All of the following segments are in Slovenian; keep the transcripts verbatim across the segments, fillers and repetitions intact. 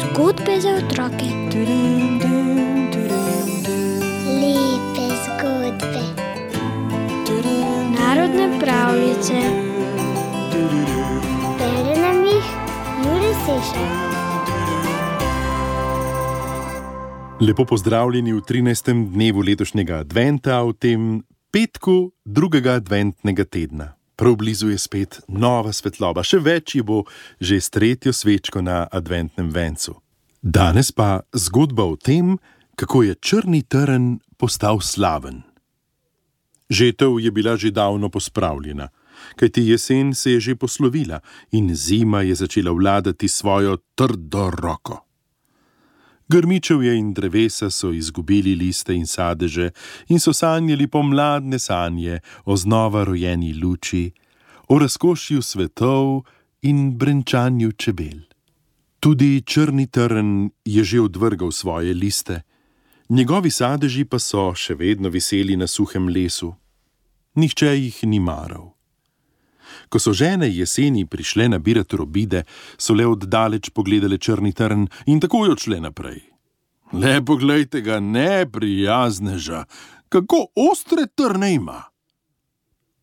Zgodbe za otroke. Lepe zgodbe. Narodne pravljice. Bere nam jih Jure Sešar. Lepo pozdravljeni v trinajstem dnevu letošnjega adventa, v tem petku drugega adventnega tedna. Prav blizu je spet nova svetloba, še več ji bo že s tretjo svečko na adventnem vencu. Danes pa zgodba o tem, kako je črni trn postal slaven. Žetev je bila že davno pospravljena, kajti jesen se je že poslovila in zima je začela vladati svojo trdo roko. Grmičevje in drevesa so izgubili liste in sadeže in so sanjali pomladne sanje o znova rojeni luči, o razkošju svetov in brenčanju čebel. Tudi črni trn je že odvrgal svoje liste, njegovi sadeži pa so še vedno viseli na suhem lesu. Nihče jih ni maral. Ko so žene jeseni prišle nabirat robide, so le oddaleč pogledale črni trn in takoj odšle naprej. Le poglejte ga, neprijazneža, kako ostre trne ima,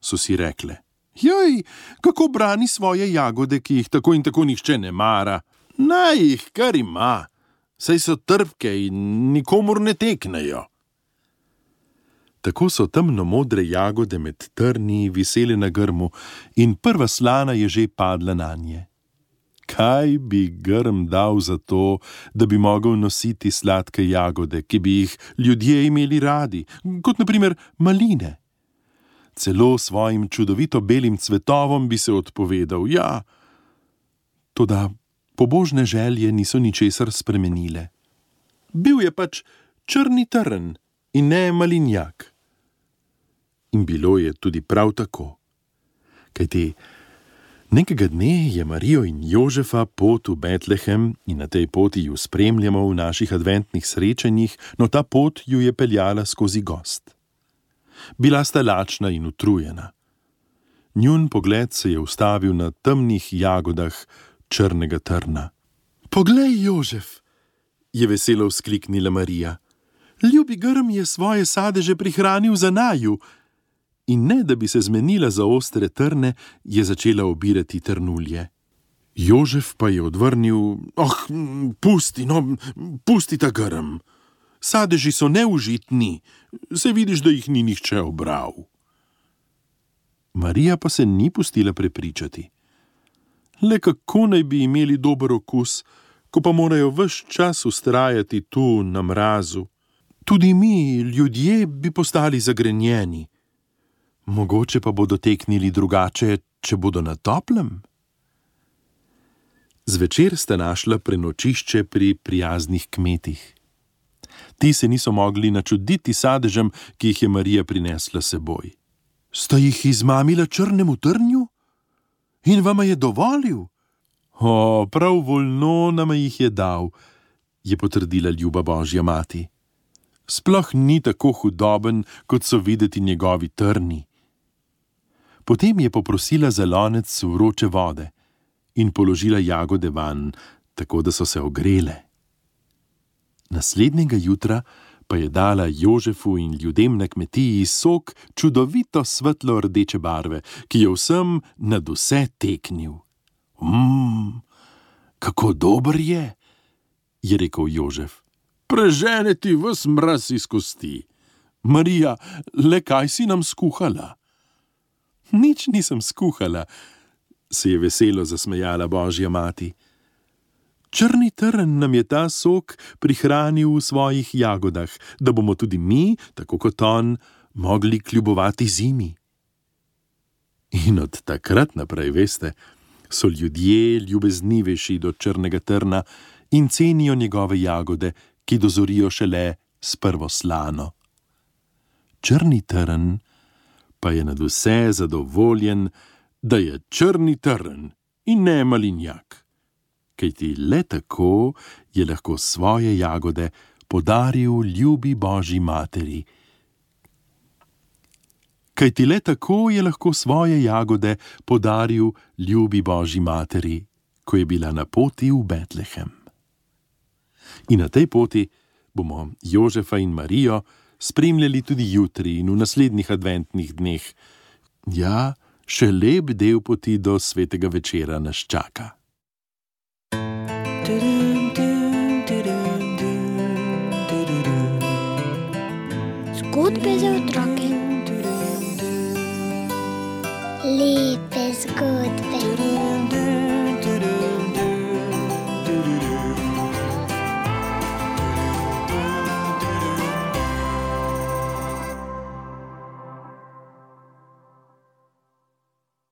so si rekle. Joj, kako brani svoje jagode, ki jih tako in tako nihče ne mara. Naj jih kar ima, saj so trpke in nikomur ne teknejo. Tako so temno modre jagode med trni visele na grmu in prva slana je že padla nanje. Kaj bi grm dal za to, da bi mogel nositi sladke jagode, ki bi jih ljudje imeli radi, kot na primer maline? Celo svojim čudovito belim cvetovom bi se odpovedal, ja. Toda pobožne želje niso ničesar spremenile. Bil je pač črni trn in ne malinjak. In bilo je tudi prav tako. Kajti nekega dne je Marijo in Jožefa pot v Betlehem in na tej poti ju spremljamo v naših adventnih srečanjih, no ta pot ju je peljala skozi gozd. Bila sta lačna in utrujena. Njun pogled se je ustavil na temnih jagodah črnega trna. Poglej, Jožef, je veselo vzkliknila Marija. Ljubi grm je svoje sadeže prihranil za naju. In ne, da bi se zmenila za ostre trne, je začela obirati trnulje. Jožef pa je odvrnil, oh, pusti, no, pusti ta grm. Sadeži so neužitni, se vidiš, da jih ni nihče obral. Marija pa se ni pustila prepričati. Le kako naj bi imeli dober okus, ko pa morajo ves čas vztrajati tu na mrazu. Tudi mi, ljudje, bi postali zagrenjeni. Mogoče pa bodo teknili drugače, če bodo na toplem? Zvečer sta našla prenočišče pri prijaznih kmetih. Ti se niso mogli načuditi sadežem, ki jih je Marija prinesla seboj. Sta jih izmamila črnemu trnju? In vama je dovolil? O, prav voljno nama jih je dal, je potrdila ljuba Božja mati. Sploh ni tako hudoben, kot so videti njegovi trni. Potem je poprosila za lonec vroče vode in položila jagode vanj, tako da so se ogrele. Naslednjega jutra pa je dala Jožefu in ljudem na kmetiji sok čudovito svetlo rdeče barve, ki je vsem nad vse teknil. Mmm, kako dober je, je rekel Jožef. Prežene ti ves mraz iz kosti. Marija, le kaj si nam skuhala? Nič nisem skuhala, se je veselo zasmejala Božja mati. Črni trn nam je ta sok prihranil v svojih jagodah, da bomo tudi mi, tako kot on, mogli kljubovati zimi. In od takrat naprej, veste, so ljudje ljubeznivejši do črnega trna in cenijo njegove jagode, ki dozorijo šele s prvo slano. Črni trn pa je nad vse zadovoljen, da je črni trn in ne malinjak, kajti le tako je lahko svoje jagode podaril ljubi Božji materi, kajti le tako je lahko svoje jagode podaril ljubi Božji materi, ko je bila na poti v Betlehem. In na tej poti bomo Jožefa in Marijo spremljali tudi jutri in v naslednjih adventnih dneh. Ja, še lep del poti do svetega večera nas čaka. Zgodbe za otroke.